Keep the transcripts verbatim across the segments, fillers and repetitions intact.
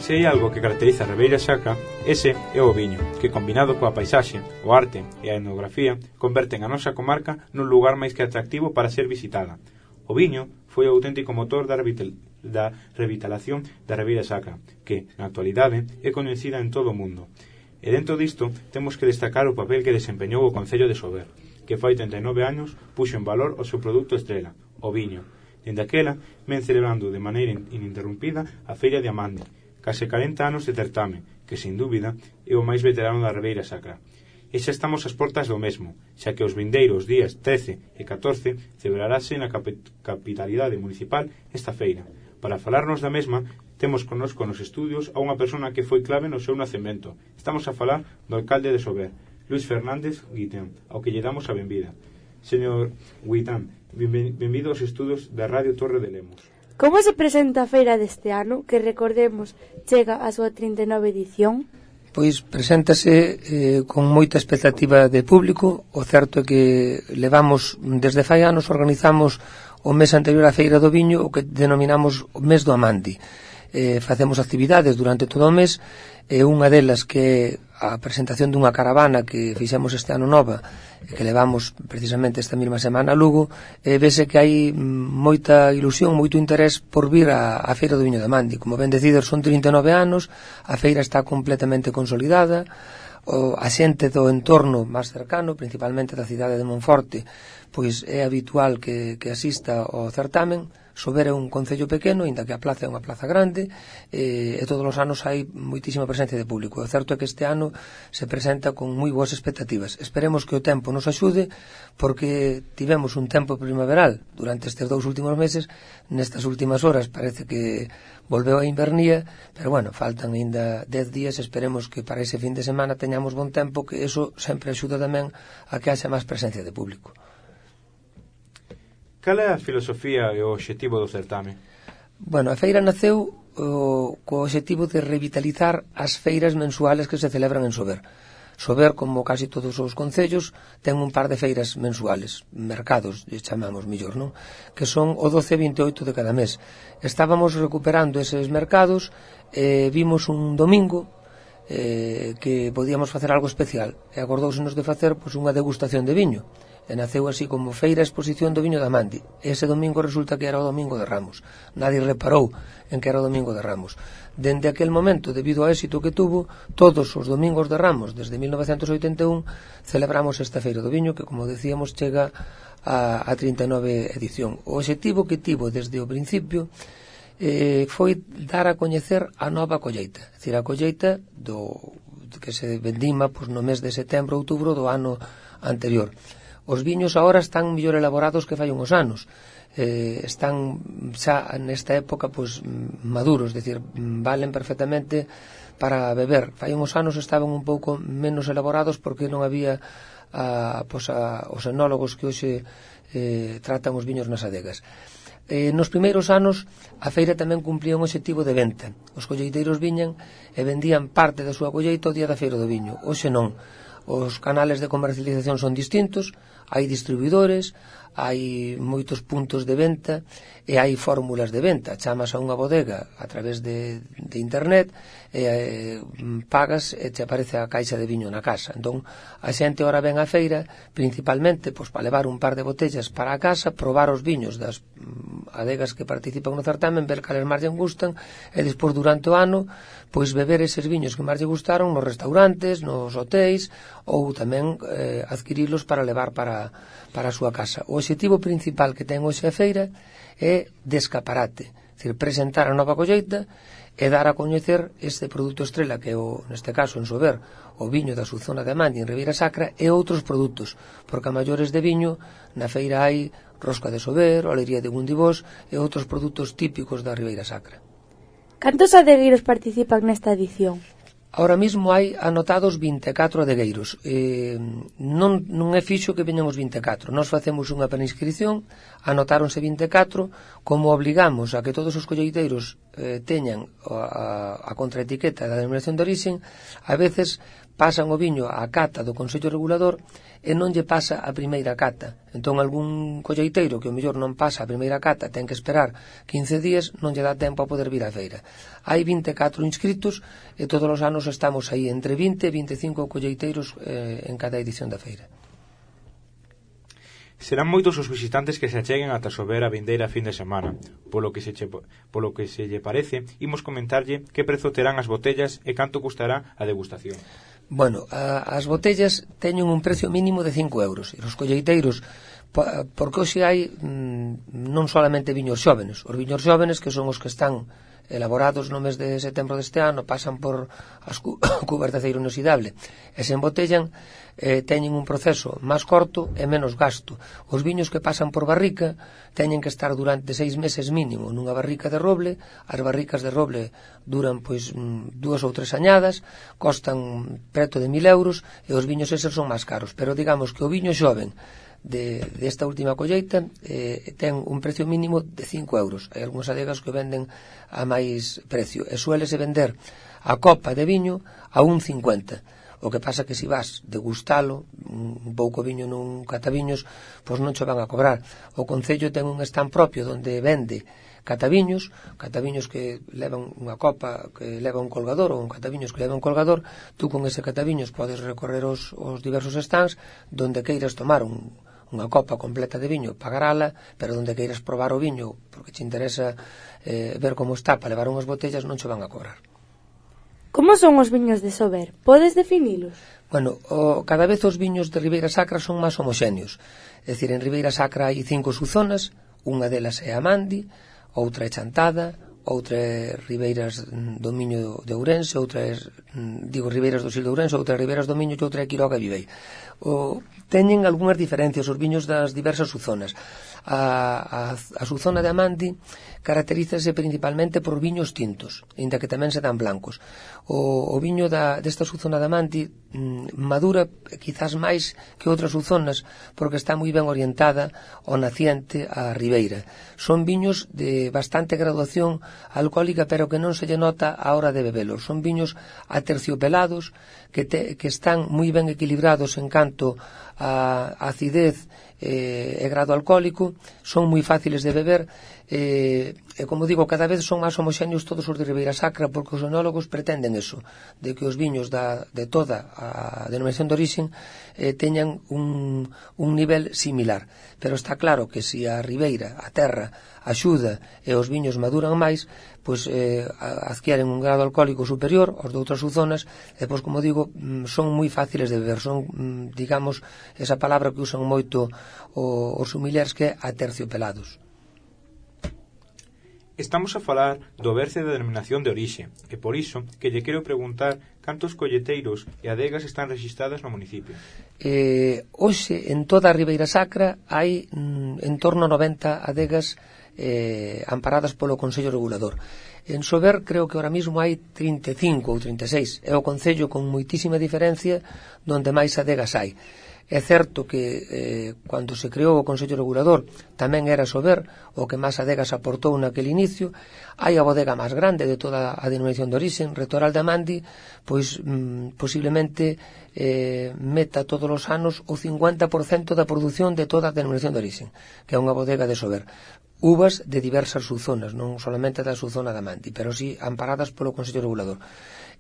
Se hai algo que caracteriza a Ribeira Sacra, ese é o viño, que combinado coa paisaxe, o arte e a etnografía converten a nosa comarca nun lugar máis que atractivo para ser visitada. O viño foi o auténtico motor da, revital, da revitalación da Ribeira Sacra, que, na actualidade, é coñecida en todo o mundo. E dentro disto, temos que destacar o papel que desempeñou o Concello de Sober, que fai trinta e nove anos puxo en valor o seu produto estrela, o viño. Dende aquela, ven celebrando de maneira ininterrumpida a Feira de Amande, case corenta anos de certame, que, sin dúbida, é o máis veterano da Ribeira Sacra. E xa estamos ás portas do mesmo, xa que os vindeiros días trece e catorce celebrarase na capitalidade municipal esta feira. Para falarnos da mesma, temos connosco nos estudios a unha persona que foi clave no seu nacemento. Estamos a falar do alcalde de Sober, Luis Fernández Guitán, ao que lle damos a benvida. Señor Guitán, benvido aos estudios da Radio Torre de Lemos. Como se presenta a feira deste ano, que recordemos chega a súa trinta e nove edición? Pois preséntase eh, con moita expectativa de público. O certo é que levamos, desde fai anos, organizamos o mes anterior á Feira do Viño, o que denominamos o mes do Amandi. Eh, facemos actividades durante todo o mes, e unha delas que é a presentación dunha caravana que fixemos este ano nova, que levamos precisamente esta mesma semana a Lugo, e vese que hai moita ilusión, moito interés por vir a, a Feira do Viño de Amandi. Como ben decidir, son trinta e nove anos, a feira está completamente consolidada, o, a xente do entorno máis cercano, principalmente da cidade de Monforte, pois é habitual que, que asista ao certamen. Sober é un concello pequeno, inda que a plaza é unha plaza grande, e, e todos os anos hai moitísima presencia de público. O certo é que este ano se presenta con moi boas expectativas. Esperemos que o tempo nos axude, porque tivemos un tempo primaveral durante estes dous últimos meses. Nestas últimas horas parece que volveu a invernía, pero bueno, faltan ainda dez días. Esperemos que para ese fin de semana teñamos bon tempo, que eso sempre axuda tamén a que haxa máis presencia de público. Cal é a filosofía e o obxectivo do certame? Bueno, a feira naceu o, co obxectivo de revitalizar as feiras mensuales que se celebran en Sober. Sober, como casi todos os concellos, ten un par de feiras mensuales, mercados, chamamos millor, non? Que son o doce e vinte e oito de cada mes. Estábamos recuperando eses mercados e vimos un domingo eh, que podíamos facer algo especial, e acordóusenos de facer pois, unha degustación de viño. E naceu así como Feira Exposición do Viño de Amandi. Ese domingo resulta que era o domingo de Ramos. Nadie reparou en que era o domingo de Ramos. Dende aquel momento, debido ao éxito que tuvo, todos os domingos de Ramos, desde mil novecentos oitenta e un, celebramos esta Feira do Viño, que, como decíamos, chega a, a trinta e nove edición. O obxectivo que tivo desde o principio eh, foi dar a coñecer a nova colleita. É dicir, a colleita do, que se vendima pois, no mes de setembro, outubro do ano anterior. Os viños agora están mellor elaborados que fai uns anos. Eh, están xa nesta época pois, maduros, é dicir, valen perfectamente para beber. Fai uns anos estaban un pouco menos elaborados porque non había a, pois, a, os enólogos que hoxe eh, tratan os viños nas adegas. Eh, nos primeiros anos a feira tamén cumplía un obxectivo de venta. Os colleiteiros viñan e vendían parte da súa colleita o día da feira do viño. Hoxe non. Os canales de comercialización son distintos, hai distribuidores, hai moitos puntos de venta e hai fórmulas de venta. Chamas a unha bodega a través de, de internet e eh, pagas e te aparece a caixa de viño na casa. Entón, a xente ora ven á feira principalmente pois, para levar un par de botellas para a casa, probar os viños das adegas que participan no certamen, ver cales máis lle gustan e despois durante o ano pois beber eses viños que máis lle gustaron nos restaurantes, nos hotéis ou tamén eh, adquirilos para levar para, para a súa casa. O obxectivo principal que ten hoxe a feira é de escaparate, é dicir, presentar a nova colleita e dar a coñecer este produto estrela que é, o, neste caso, en Sober, o viño da súa zona de Amandi en Ribeira Sacra e outros produtos, porque a maiores de viño na feira hai rosca de Sober, olería de Gundibós e outros produtos típicos da Ribeira Sacra. Cantos adegueiros participan nesta edición? Ahora mismo hai anotados vinte e catro adegueiros. Eh, non, non é fixo que veñan os vinte e catro. Nós facemos unha preinscripción, anotáronse vinte e catro, como obligamos a que todos os colleiteiros eh, teñan a, a contraetiqueta da denominación de origen, a veces pasan o viño á cata do Consello Regulador e non lle pasa a primeira cata. Entón, algún colleiteiro que o mellor non pasa a primeira cata, ten que esperar quince días, non lle dá tempo a poder vir á feira. Hai vinte e catro inscritos e todos os anos estamos aí entre vinte e vinte e cinco colleiteiros eh, en cada edición da feira. Serán moitos os visitantes que se acheguen ata Sober a vindeira fin de semana. Polo que se che, polo que se lle parece, imos comentarlle que prezo terán as botellas e canto custará a degustación. Bueno, a, as botellas teñen un precio mínimo de cinco euros. E os colleiteiros, porque hoxe hai mmm, non solamente viños xóvenes. Os viños xóvenes, que son os que están elaborados no mes de setembro deste ano, pasan por as cu cubas de aceiro inoxidable e se embotellan, eh, teñen un proceso máis corto e menos gasto. Os viños que pasan por barrica teñen que estar durante seis meses mínimo nunha barrica de roble. As barricas de roble duran pois dúas ou tres añadas, costan preto de mil euros e os viños eses son máis caros, pero digamos que o viño xoven de, de esta última colleita eh, ten un precio mínimo de cinco euros. Hai algúns adegas que venden a máis precio e suélese vender a copa de viño a un cincuenta. O que pasa que se vas degustalo un pouco viño nun cataviños, pois non che van a cobrar. O Concello ten un stand propio onde vende cataviños, cataviños que levan unha copa que leva un colgador ou un cataviños que leva un colgador. Tú con ese cataviños podes recorrer os, os diversos stands donde queiras tomar un unha copa completa de viño, pagarala, pero onde queiras probar o viño porque te interesa eh, ver como está para levar unhas botellas, non che van a cobrar. Como son os viños de Sober? Podes definilos? Bueno, o, cada vez os viños de Ribeira Sacra son máis homoxéneos. É dicir, en Ribeira Sacra hai cinco subzonas, unha delas é a Mandi, outra é Chantada, outra é Ribeiras do Miño de Ourense, outra é, digo, Ribeiras do Sil de Ourense, outra é Ribeiras do Miño e outra é Quiroga e Vivei. O, teñen algunhas diferencias os viños das diversas subzonas. A, a, a subzona de Amandi caracterízase principalmente por viños tintos, ainda que tamén se dan blancos. O, o viño da, desta subzona de Amandi mm, madura quizás máis que outras subzonas porque está moi ben orientada ao naciente a ribeira. Son viños de bastante graduación alcohólica, pero que non se lle nota a hora de bebelos. Son viños aterciopelados que, te, que están moi ben equilibrados en canto a acidez eh, e grado alcohólico, son moi fáciles de beber eh, e como digo, cada vez son máis homoxéneos todos os de Ribeira Sacra porque os enólogos pretenden eso, de que os viños da, de toda a denominación de origen eh, teñan un, un nivel similar, pero está claro que se a ribeira, a terra axuda e os viños maduran máis, pois eh, adquieren un grado alcohólico superior aos de outras subzonas e pois como digo, son moi fáciles de beber, son digamos esa palabra que usan moito os sommeliers que é aterciopelados. Estamos a falar do berce da denominación de orixe e por iso que lle quero preguntar cantos colleteiros e adegas están rexistradas no municipio. Eh, hoxe en toda a Ribeira Sacra hai mm, en torno a noventa adegas eh, amparadas polo Consello Regulador. En Sober creo que ahora mismo hai trinta e cinco ou trinta e seis, é o concello con moitísima diferencia donde máis adegas hai. É certo que eh, cando se creou o Consello Regulador tamén era Sober o que máis adegas aportou naquele inicio. Hai a bodega máis grande de toda a denominación de origen, Retoral de Amandi, pois mm, posiblemente eh, meta todos os anos o cincuenta por cento da produción de toda a denominación de origen, que é unha bodega de Sober. Uvas de diversas subzonas, non solamente da subzona de Amandi, pero sí amparadas polo Consello Regulador.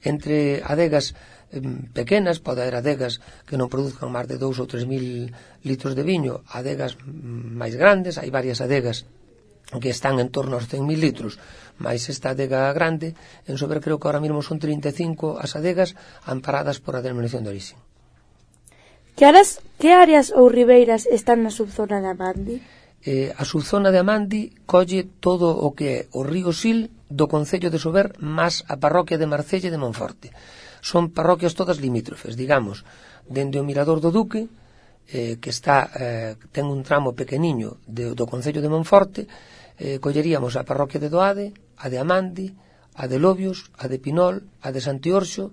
Entre adegas eh, pequenas, pode haber adegas que non produzcan máis de dous ou tres mil litros de viño, adegas máis grandes, hai varias adegas que están en torno aos cen mil litros, máis esta adega grande, en Sober creo que ahora mesmo son trinta e cinco as adegas amparadas por a denominación de origen. Que áreas, que áreas ou ribeiras están na subzona de Amandi? Eh, a subzona de Amandi colle todo o que é o río Sil do Concello de Sober máis a parroquia de Marcelle de Monforte. Son parroquias todas limítrofes, digamos, dende o Mirador do Duque, eh, que está eh, ten un tramo pequeniño de, do Concello de Monforte, eh, colleríamos a parroquia de Doade, a de Amandi, a de Lobios, a de Pinol, a de Santiorxo,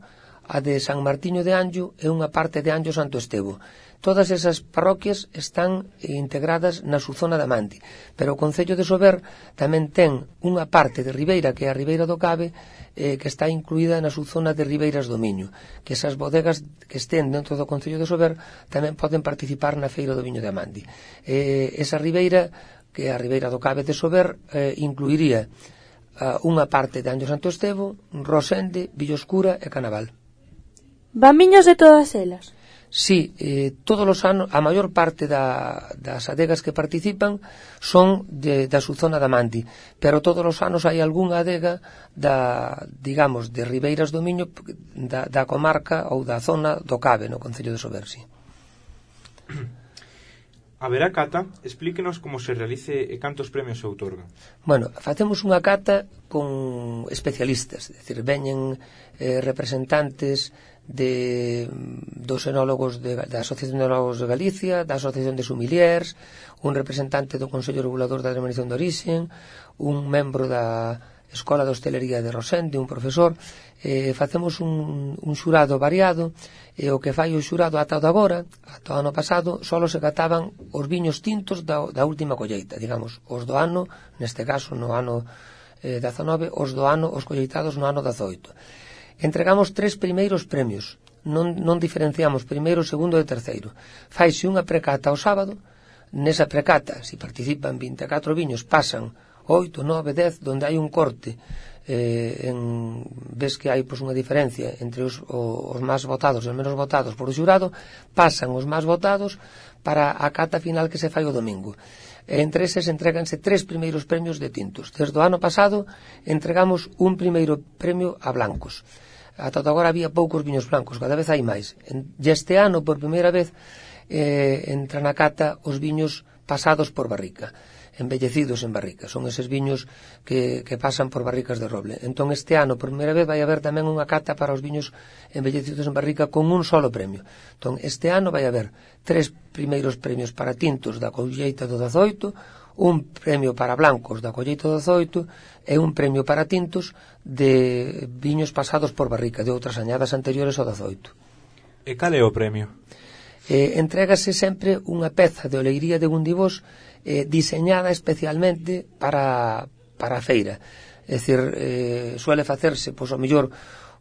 a de San Martiño de Anllo e unha parte de Anllo Santo Estevo. Todas esas parroquias están integradas na súa zona de Amandi, pero o Concello de Sober tamén ten unha parte de Ribeira, que é a Ribeira do Cabe, eh, que está incluída na súa zona de Ribeiras do Miño, que esas bodegas que estén dentro do Concello de Sober tamén poden participar na Feira do Viño de Amandi. Eh, esa Ribeira, que é a Ribeira do Cabe de Sober, eh, incluiría eh, unha parte de Anllo Santo Estevo, Rosende, Villoscura e Canaval. Van viños de todas elas? Sí, eh, todos os anos, a maior parte da, das adegas que participan son de, da súa zona da Amandi, pero todos os anos hai algunha adega da, digamos, de Ribeiras do Miño, da, da comarca ou da zona do Cabe, no Concello de Sober, sí. Haberá cata? Explíquenos como se realice e cantos premios se outorgan. Bueno, facemos unha cata con especialistas, é dicir, veñen eh, representantes de dos enólogos de, da Asociación de Enólogos de Galicia, da Asociación de Sumiliers, un representante do Consello Regulador da Denominación de Origen, un membro da Escola de Hostelería de Rosende, un profesor. Eh, facemos un, un xurado variado, e o que fai o xurado ata o de agora, ata o ano pasado, só se cataban os viños tintos da, da última colleita, digamos, os do ano, neste caso no ano eh, dezanove, os do ano, os colleitados no ano dezoito. Entregamos tres primeiros premios, non, non diferenciamos primeiro, segundo e terceiro. Faise unha precata ao sábado, nesa precata, se participan vinte e catro viños, pasan oito, nove, dez, donde hai un corte, eh, en, ves que hai pois, unha diferencia entre os, os máis votados e os menos votados por o xurado, pasan os máis votados para a cata final que se fai o domingo. E entre eses entreganse tres primeiros premios de tintos. Desde o ano pasado entregamos un primeiro premio a blancos. Ata agora había poucos viños blancos, cada vez hai máis. E este ano, por primeira vez, eh, entra na cata os viños pasados por barrica, embellecidos en barrica. Son eses viños que, que pasan por barricas de roble. Entón, este ano, por primeira vez, vai haber tamén unha cata para os viños embellecidos en barrica con un solo premio. Entón, este ano vai haber tres primeiros premios para tintos da colleita do dezoito, un premio para blancos da colleita do dezoito e un premio para tintos de viños pasados por barrica, de outras añadas anteriores ao dezoito. E cal é o premio? Eh, entrégase sempre unha peza de oleiría de Gundibós eh, diseñada especialmente para, para a feira. É dicir, eh, suele facerse, pois, ao mellor,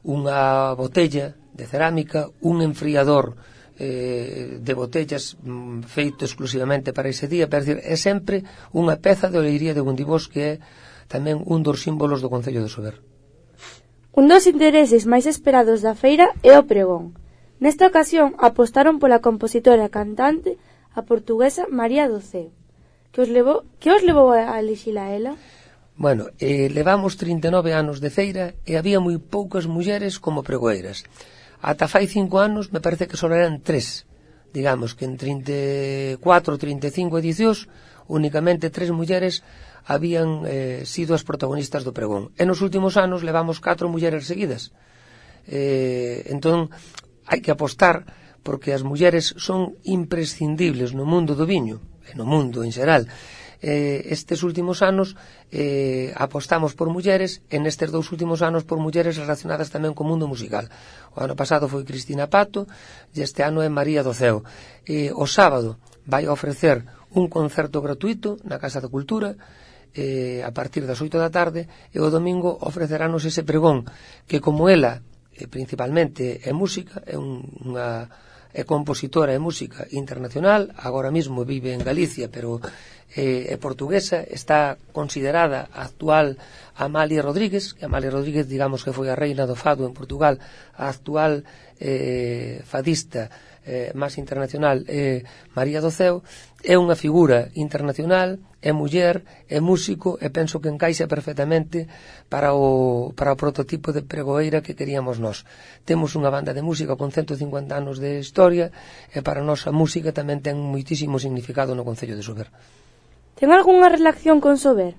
unha botella de cerámica, un enfriador eh, de botellas mm, feito exclusivamente para ese día, pero, decir, é sempre unha peza de oleiría de Gundibós que é tamén un dos símbolos do Concello de Sober. Un dos intereses máis esperados da feira é o pregón. Nesta ocasión apostaron pola compositora e cantante a portuguesa María do Ceo. Que os levou, que os levou a elixila ela? Bueno, eh, levamos trinta e nove anos de feira e había moi poucas mulleres como pregoeiras. Ata fai cinco anos me parece que só eran tres. Digamos que en trinta e catro, trinta e cinco edicións únicamente tres mulleres habían eh, sido as protagonistas do pregón. E nos últimos anos levamos catro mulleres seguidas. Eh, entón, hai que apostar porque as mulleres son imprescindibles no mundo do viño e no mundo en xeral. Eh, estes últimos anos eh, apostamos por mulleres e nestes dous últimos anos por mulleres relacionadas tamén co mundo musical. O ano pasado foi Cristina Pato e este ano é María do Ceo. Eh, o sábado vai ofrecer un concerto gratuito na Casa da Cultura eh, a partir das oito da tarde e o domingo ofreceranos ese pregón que, como ela eh, principalmente é música, é un, unha é compositora e música internacional, agora mesmo vive en Galicia, pero eh, é portuguesa, está considerada a actual Amalia Rodríguez, que Amalia Rodríguez, digamos que foi a reina do fado en Portugal, a actual eh, fadista eh, máis internacional é eh, María do Ceo, é unha figura internacional, é muller, é músico e penso que encaixa perfectamente para o, para o prototipo de pregoeira que queríamos nós. Temos unha banda de música con ciento cincuenta anos de historia e para nós a música tamén ten moitísimo significado no Concello de Sober. Ten algunha relación con Sober?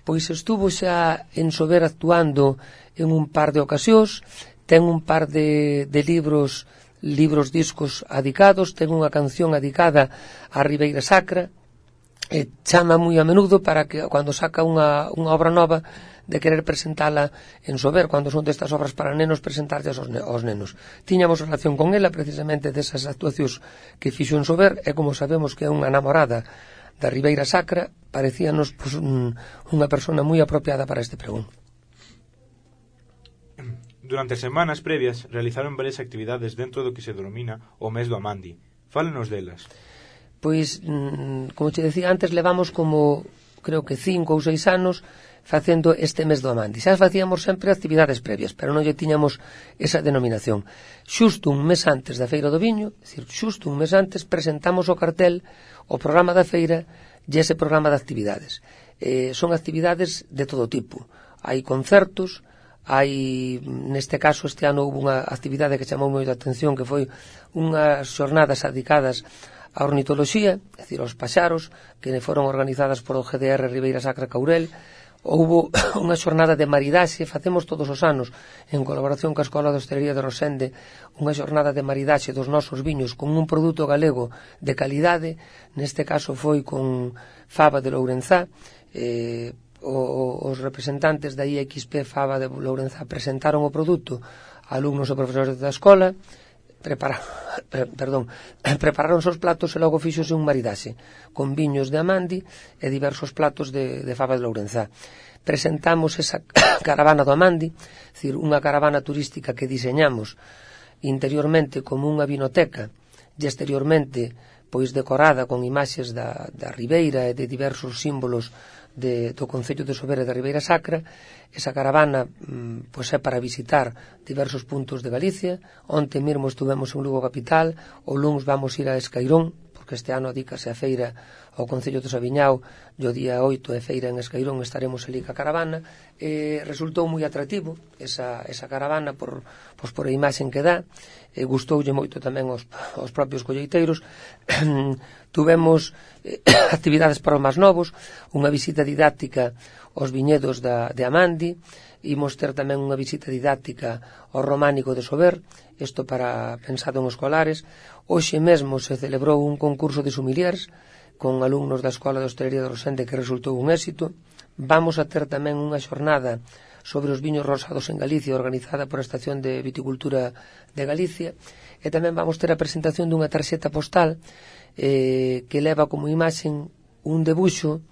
Pois estuvo xa en Sober actuando en un par de ocasións, ten un par de, de libros libros discos adicados, ten unha canción adicada á Ribeira Sacra, e chama moi a menudo para que cando saca unha, unha obra nova de querer presentala en Sober, cando son destas obras para nenos, presentarlas aos, ne aos nenos. Tiñamos relación con ela precisamente desas actuacións que fixo en Sober, e como sabemos que é unha namorada da Ribeira Sacra, parecíanos pues, un, unha persona moi apropiada para este pregón. Durante as semanas previas realizaron varias actividades dentro do que se denomina o mes do Amandi. Fálenos delas. Pois, como te decía antes, levamos como, creo que cinco ou seis anos facendo este mes do Amandi. Xa facíamos sempre actividades previas, pero non lle tiñamos esa denominación. Xusto un mes antes da Feira do Viño, é dicir, xusto un mes antes, presentamos o cartel, o programa da feira e ese programa de actividades. Eh, son actividades de todo tipo. Hai concertos, hai, neste caso, este ano houve unha actividade que chamou moito a atención, que foi unhas xornadas dedicadas a ornitoloxía, é dicir, aos paxaros, que foron organizadas por o G D R Ribeira Sacra Caurel. Houbo unha xornada de maridaxe, facemos todos os anos, en colaboración coa Escola de Hostelería de Rosende, unha xornada de maridaxe dos nosos viños con un produto galego de calidade, neste caso foi con fava de Lourenzá. eh, o, os representantes da I X P Fava de Lourenzá presentaron o produto a alumnos e profesores da escola, prepararon, perdón, prepararon os platos e logo fixose un maridaxe con viños de Amandi e diversos platos de, de fava de Lourenzá. Presentamos esa caravana do Amandi, é dicir, unha caravana turística que diseñamos interiormente como unha vinoteca e exteriormente pois decorada con imaxes da, da Ribeira e de diversos símbolos de, do Concello de Sober e da Ribeira Sacra. Esa caravana mm, pois é para visitar diversos puntos de Galicia. Onte mesmo estuvemos en Lugo capital, o luns vamos ir a Escairón, porque este ano adícase a feira ao Concello de Sabiñao, e o día oito é feira en Escairón, estaremos ali ca caravana. E resultou moi atractivo esa, esa caravana por, pois por a imaxen que dá, e gustoulle moito tamén aos, aos propios colleiteiros. Tuvemos eh, actividades para os máis novos, unha visita didáctica aos viñedos da, de Amandi, imos ter tamén unha visita didáctica ao románico de Sober, isto para pensado en escolares. Hoxe mesmo se celebrou un concurso de sumiliers con alumnos da Escola de Hostelería de Rosende que resultou un éxito. Vamos a ter tamén unha xornada sobre os viños rosados en Galicia organizada por a Estación de Viticultura de Galicia, e tamén vamos ter a presentación dunha tarxeta postal eh, que leva como imaxen un debuxo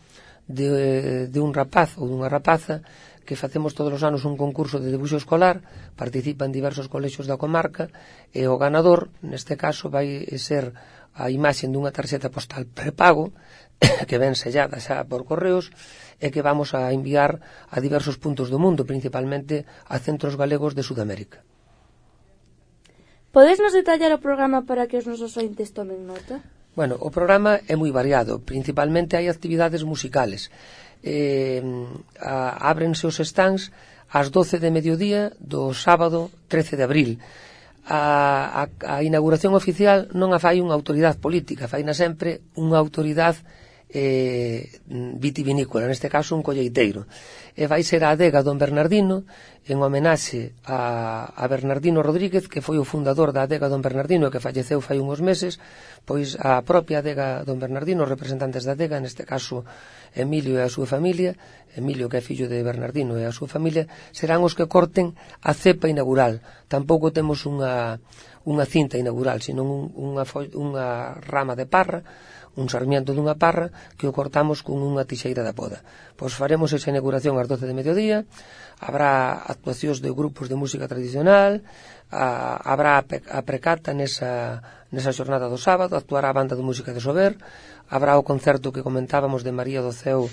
de, de un rapaz ou dunha rapaza, que facemos todos os anos un concurso de debuxo escolar, participan diversos colexios da comarca, e o ganador, neste caso, vai ser a imaxen dunha tarxeta postal prepago, que ven sellada xa por correos, e que vamos a enviar a diversos puntos do mundo, principalmente a centros galegos de Sudamérica. Podes nos detallar o programa para que os nosos ointes tomen nota? Bueno, o programa é moi variado, principalmente hai actividades musicales. Eh, a, ábrense os stands ás doce de mediodía do sábado trece de abril. A, a, a inauguración oficial non a fai unha autoridade política, faina sempre unha autoridade eh, vitivinícola, neste caso un colleiteiro, e vai ser a adega Don Bernardino, en homenaxe a, a Bernardino Rodríguez, que foi o fundador da adega Don Bernardino, que falleceu fai uns meses. Pois a propia adega Don Bernardino, os representantes da adega, neste caso Emilio e a súa familia, Emilio que é fillo de Bernardino e a súa familia, serán os que corten a cepa inaugural. Tampouco temos unha, unha cinta inaugural, senón un, unha, unha rama de parra, un sarmiento dunha parra, que o cortamos con unha tixeira da poda. Pois faremos esa inauguración ás doce de mediodía, habrá actuacións de grupos de música tradicional, a, habrá a precata nesa, nesa xornada do sábado, actuará a banda de música de Sober, habrá o concerto que comentábamos de María do Ceo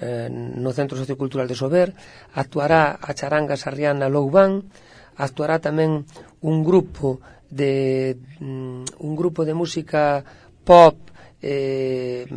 eh, no Centro Sociocultural de Sober, actuará a charanga sarriana Loubán, actuará tamén un grupo de un grupo de música pop, eh,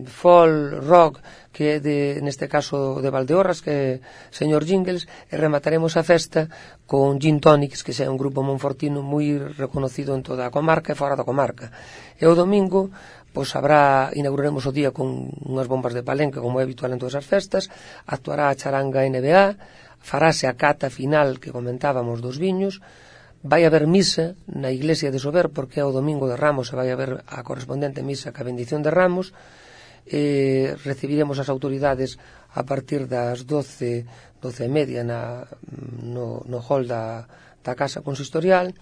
folk, rock, que é de, neste caso de Valdeorras, que é señor Jingles, e remataremos a festa con Gin Tonics, que é un grupo monfortino moi reconocido en toda a comarca e fora da comarca. E o domingo pois habrá, inauguraremos o día con unhas bombas de palenque, como é habitual en todas as festas, actuará a charanga N B A, farase a cata final que comentábamos dos viños, vai haber misa na iglesia de Sober, porque é o domingo de Ramos e vai haber a correspondente misa ca bendición de Ramos, eh, recibiremos as autoridades a partir das doce, doce e media na, no, no hall da, da Casa Consistorial.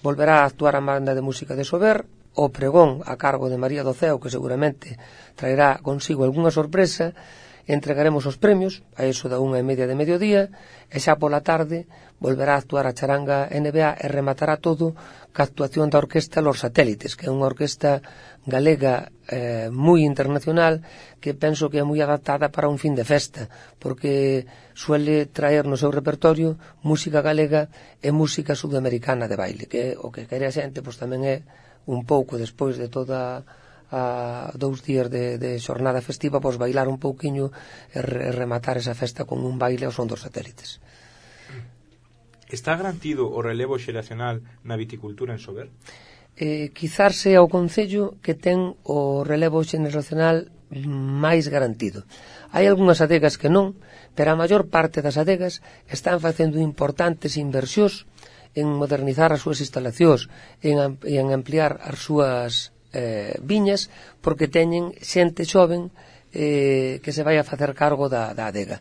Volverá a actuar a banda de música de Sober, o pregón a cargo de María do Ceo, que seguramente traerá consigo algunha sorpresa. Entregaremos os premios a eso da unha e media de mediodía, e xa pola tarde volverá a actuar a charanga N B A e rematará todo ca actuación da orquesta Los Satélites, que é unha orquesta galega eh, moi internacional, que penso que é moi adaptada para un fin de festa, porque suele traer no seu repertorio música galega e música sudamericana de baile, que o que quere a xente pois tamén é un pouco despois de toda a dous días de, de xornada festiva, pois bailar un pouquiño e re, rematar esa festa con un baile ao son dos satélites. Está garantido o relevo xeracional na viticultura en Sober? Eh, quizás sea o Concello que ten o relevo xeracional máis garantido. Hai algunhas adegas que non, pero a maior parte das adegas están facendo importantes inversións en modernizar as súas instalacións, en, en ampliar as súas eh, viñas, porque teñen xente xoven eh, que se vai a facer cargo da, da adega.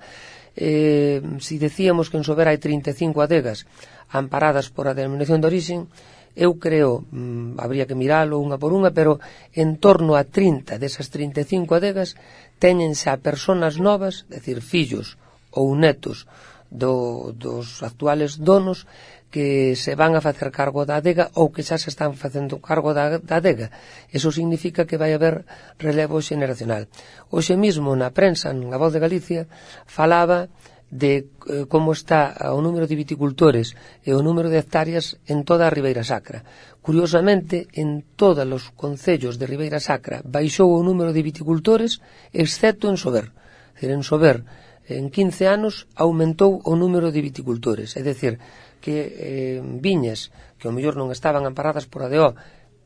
Eh, si decíamos que en Sober hai trinta e cinco adegas amparadas por a denominación de orixen, eu creo, mmm, habría que miralo unha por unha, pero en torno a trinta desas trinta e cinco adegas teñen xa persoas novas, é dicir, fillos ou netos do, dos actuales donos, que se van a facer cargo da adega ou que xa se están facendo cargo da, da adega. Eso significa que vai haber relevo xeneracional. Hoxe mesmo na prensa, na Voz de Galicia, falaba de eh, como está o número de viticultores e o número de hectáreas en toda a Ribeira Sacra. Curiosamente, en todos os concellos de Ribeira Sacra baixou o número de viticultores, excepto en Sober. É dicir, en Sober, en quince anos, aumentou o número de viticultores. É dicir, que eh, viñas que ao mellor non estaban amparadas por A D O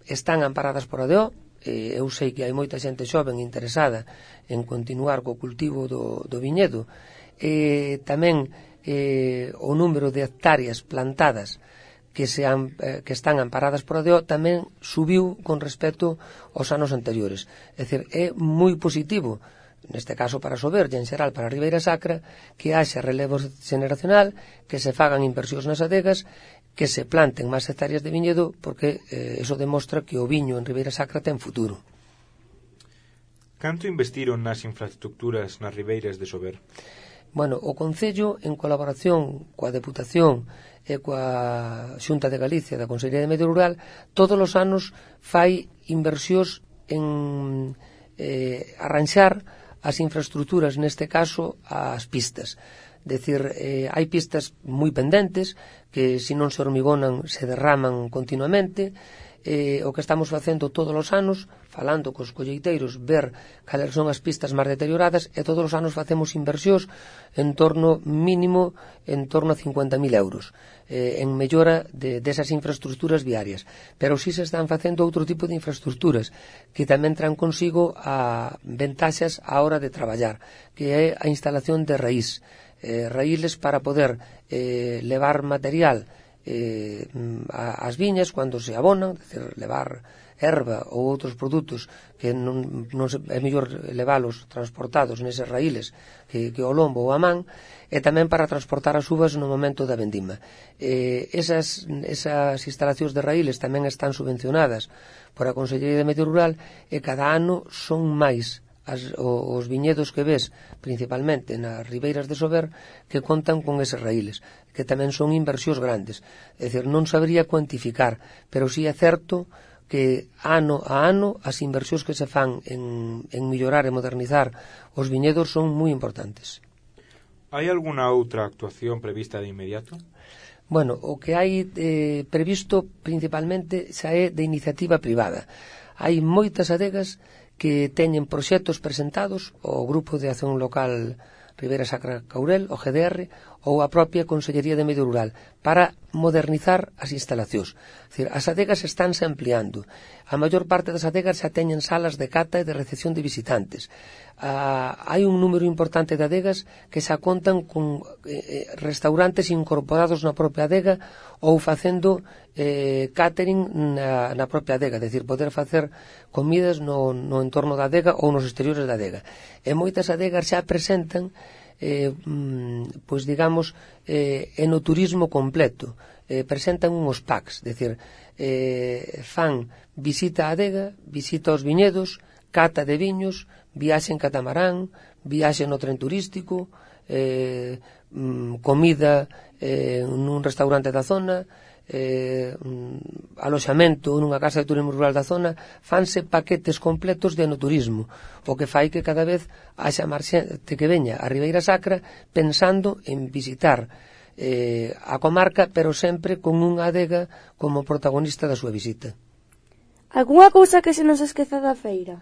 están amparadas por A D O. eh, eu sei que hai moita xente xoven interesada en continuar co cultivo do, do viñedo. Eh, tamén eh, o número de hectáreas plantadas que, se han, eh, que están amparadas por A D O tamén subiu con respecto aos anos anteriores. É dicir, é moi positivo, neste caso para Sober e en xeral para a Ribeira Sacra, que haxa relevo xeneracional, que se fagan inversións nas adegas, que se planten máis hectáreas de viñedo, porque eh, eso demostra que o viño en Ribeira Sacra ten futuro. Canto investiron nas infraestructuras nas ribeiras de Sober? Bueno, o Concello, en colaboración coa Deputación e coa Xunta de Galicia da Consellería de Medio Rural, todos os anos fai inversións en eh, arranxar as infraestructuras, neste caso as pistas. Decir, eh, hai pistas moi pendentes que se non se hormigonan se derraman continuamente. Eh, o que estamos facendo todos os anos, falando cos colleiteiros, ver cales son as pistas máis deterioradas, e todos os anos facemos inversións en torno mínimo en torno a cincuenta mil euros eh, en mellora de, desas infraestructuras viarias. Pero si se están facendo outro tipo de infraestructuras que tamén traen consigo a ventaxas á hora de traballar, que é a instalación de raíz eh, raíles para poder eh, levar material eh, as viñas cando se abonan, é dicir, levar erva ou outros produtos que non, non se, é mellor leválos transportados neses raíles que, que o lombo ou a man, e tamén para transportar as uvas no momento da vendima. Eh, esas, esas instalacións de raíles tamén están subvencionadas por a Consellería de Medio Rural, e cada ano son máis As, os viñedos que ves principalmente nas ribeiras de Sober que contan con eses raíles, que tamén son inversións grandes. É dicir, non sabría cuantificar, pero si sí é certo que ano a ano as inversións que se fan en, en mellorar e modernizar os viñedos son moi importantes. Hai algunha outra actuación prevista de inmediato? Bueno, o que hai eh, previsto principalmente xa é de iniciativa privada. Hai moitas adegas que teñen proxectos presentados ao Grupo de Acción Local Ribeira Sacra Caurel, o G D R, ou a propia Consellería de Medio Rural para modernizar as instalacións. É dicir, as adegas estánse ampliando. A maior parte das adegas xa teñen salas de cata e de recepción de visitantes. Ah, hai un número importante de adegas que xa contan con eh, restaurantes incorporados na propia adega ou facendo eh, catering na, na propia adega, é dicir, poder facer comidas no, no entorno da adega ou nos exteriores da adega. E moitas adegas xa presentan Eh, pois digamos eh, enoturismo completo, eh, presentan unhos packs, é dicir, eh, fan visita á adega, visita aos viñedos, cata de viños, viaxe en catamarán, viaxe no tren turístico, eh, comida eh, nun restaurante da zona, eh, aloxamento nunha casa de turismo rural da zona. Fanse paquetes completos de enoturismo, o que fai que cada vez haxa máis xente que veña a Ribeira Sacra pensando en visitar eh, a comarca, pero sempre con unha adega como protagonista da súa visita. Algúnha cousa que se nos esqueza da feira?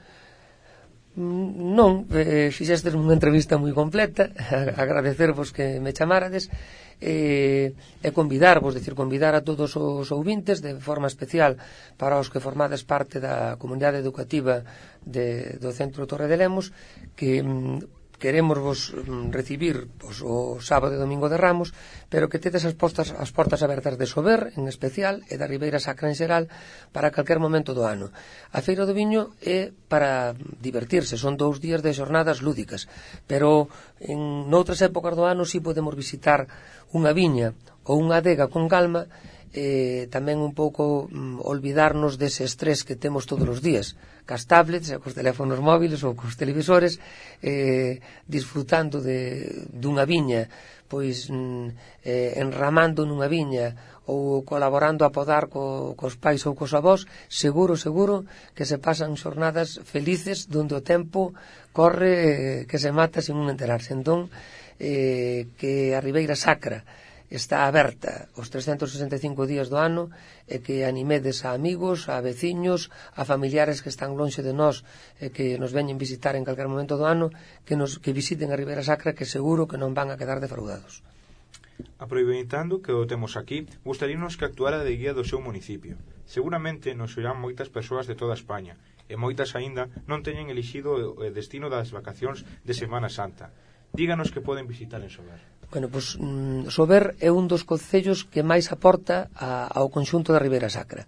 Non, eh, fixestes unha entrevista moi completa, agradecervos que me chamárades, e, e convidarvos, decir, convidar a todos os ouvintes de forma especial para os que formades parte da comunidade educativa de, do Centro Torre de Lemos, que queremos vos recibir pois, o sábado e domingo de Ramos, pero que tedes as, postas, as portas abertas de Sober en especial e da Ribeira Sacra en xeral para calquer momento do ano. A Feira do Viño é para divertirse, son dous días de xornadas lúdicas, pero en noutras épocas do ano si podemos visitar unha viña ou unha adega con calma, eh, tamén un pouco mm, olvidarnos dese estrés que temos todos os días, cas tablets, cos teléfonos móviles ou cos televisores, eh, disfrutando de, dunha viña, pois mm, eh, enramando nunha viña ou colaborando a podar co, cos pais ou cos avós. Seguro, seguro que se pasan xornadas felices donde o tempo corre eh, que se mata sin un enterarse. Entón, eh, que a Ribeira Sacra está aberta os trescentos sesenta e cinco días do ano e que animedes a amigos, a veciños, a familiares que están lonxe de nós e que nos veñen visitar en calquer momento do ano, que nos que visiten a Ribeira Sacra, que seguro que non van a quedar defraudados. Aproveitando que o temos aquí, gustaríanos que actuara de guía do seu municipio. Seguramente nos oirán moitas persoas de toda España e moitas aínda non teñen elixido o destino das vacacións de Semana Santa. Díganos que poden visitar en Sober. Bueno, pois, mm, Sober é un dos concellos que máis aporta a, ao conxunto da Ribeira Sacra.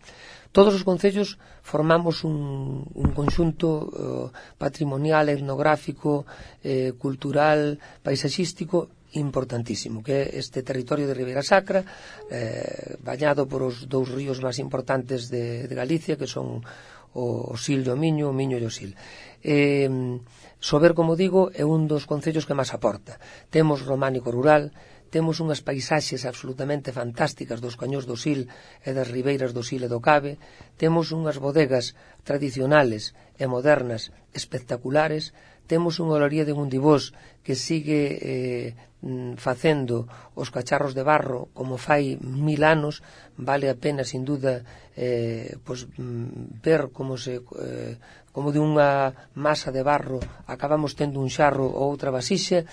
Todos os concellos formamos un, un conxunto uh, patrimonial, etnográfico, eh, cultural, paisaxístico importantísimo, que é este territorio de Ribeira Sacra, eh, bañado por os dous ríos máis importantes de, de Galicia, que son o, o Sil e o Miño, o Miño e o Sil. Eh, Sober, como digo, é un dos concellos que máis aporta. Temos románico rural, temos unhas paisaxes absolutamente fantásticas dos cañóns do Sil e das ribeiras do Sil e do Cabe, temos unhas bodegas tradicionales e modernas espectaculares, temos unha olaría de Mundibós que sigue eh, facendo os cacharros de barro como fai mil anos. Vale a pena, sin duda, eh, pues, ver como se eh, como de unha masa de barro acabamos tendo un xarro ou outra vasixa.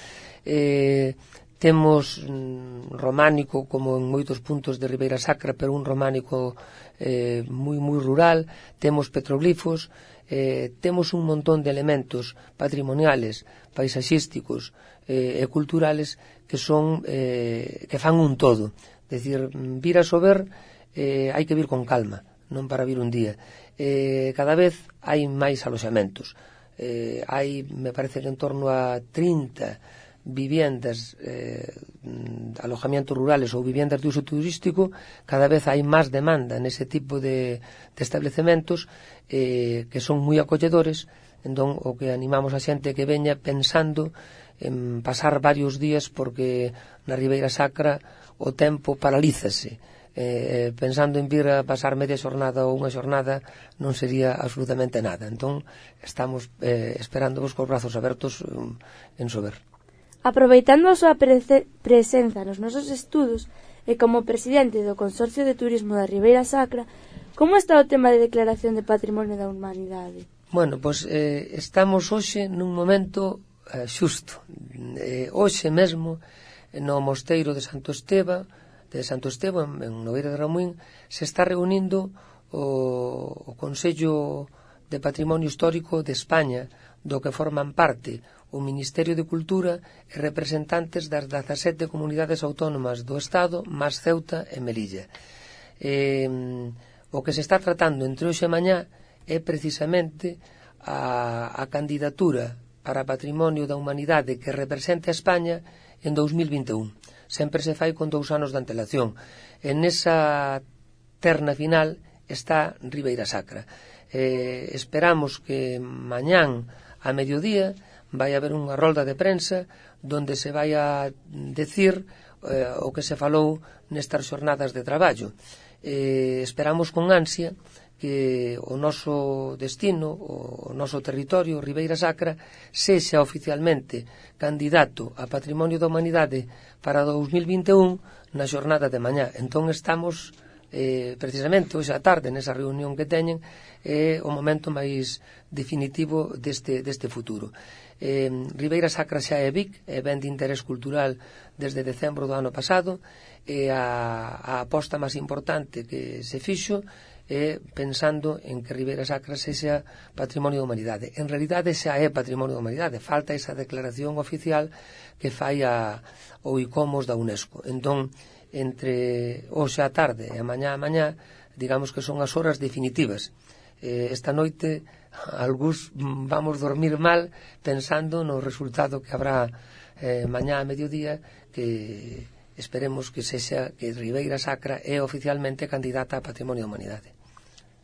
eh, temos mm, románico como en moitos puntos de Ribeira Sacra, pero un románico eh, moi moi rural. Temos petroglifos, eh, temos un montón de elementos patrimoniales, paisaxísticos eh, e culturales que son eh, que fan un todo. É dicir, vir a Sober eh, hai que vir con calma, non para vir un día. Eh, cada vez hai máis aloxamentos. Eh, hai, me parece que en torno a trinta viviendas, eh, alojamientos rurales ou viviendas de uso turístico. Cada vez hai máis demanda nese tipo de, de establecementos eh, que son moi acolledores. Entón, o que animamos a xente que veña pensando en pasar varios días, porque na Ribeira Sacra o tempo paralízase. Eh, pensando en vir a pasar media xornada ou unha xornada non sería absolutamente nada. Entón, estamos eh, esperándovos cos brazos abertos um, en Sober. Aproveitando a súa prese- presenza nos nosos estudos e como presidente do Consorcio de Turismo da Ribeira Sacra, como está o tema de declaración de Patrimonio da Humanidade? Bueno, pois eh, estamos hoxe nun momento eh, xusto. Eh, hoxe mesmo no mosteiro de Santo Esteba, de Santo Estebo, en, en Nogueira de Ramuín, se está reunindo o, o Consello de Patrimonio Histórico de España, do que forman parte o Ministerio de Cultura e representantes das dezasete comunidades autónomas do Estado, máis Ceuta e Melilla. Eh, o que se está tratando entre hoxe e mañá é precisamente a, a candidatura para Patrimonio da Humanidade que represente a España en dous mil vinte e un. Sempre se fai con dous anos de antelación. En esa terna final está Ribeira Sacra. Eh, esperamos que mañán a mediodía vai haber unha rolda de prensa donde se vai a decir eh, o que se falou nestas xornadas de traballo. Eh, esperamos con ansia que o noso destino, o noso territorio, Ribeira Sacra, sexa oficialmente candidato a Patrimonio da Humanidade para dous mil vinte e un na xornada de mañá. Entón estamos eh, precisamente hoxe á tarde nesa reunión que teñen é o momento máis definitivo deste, deste futuro. Eh, Ribeira Sacra xa é B I C, é ben de interés cultural desde decembro do ano pasado, e a, a aposta máis importante que se fixo é pensando en que Ribeira Sacra sexa Patrimonio da Humanidade. En realidade xa é Patrimonio da Humanidade, falta esa declaración oficial que fai a, o ICOMOS da UNESCO. Entón, entre hoxe á tarde e a mañá a mañá, digamos que son as horas definitivas. Eh, esta noite algúns vamos dormir mal pensando no resultado que habrá eh, mañá a mediodía, que esperemos que sexa que Ribeira Sacra é oficialmente candidata a Patrimonio da Humanidade.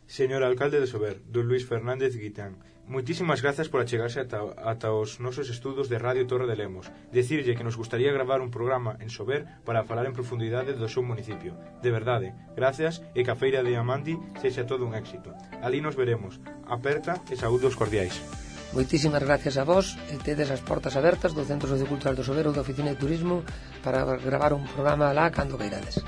Señor alcalde de Sober, don Luís Fernández Guitán, moitísimas grazas por achegarse ata, ata os nosos estudos de Radio Torre de Lemos. Decirlle que nos gustaría gravar un programa en Sober para falar en profundidade do seu municipio. De verdade, gracias, e que a Feira de Amandi sexa todo un éxito. Ali nos veremos. Aperta e saúdos cordiais. Moitísimas gracias a vos, e tedes as portas abertas do Centro Sociocultural do Sober ou da Oficina de Turismo para gravar un programa lá cando queirades.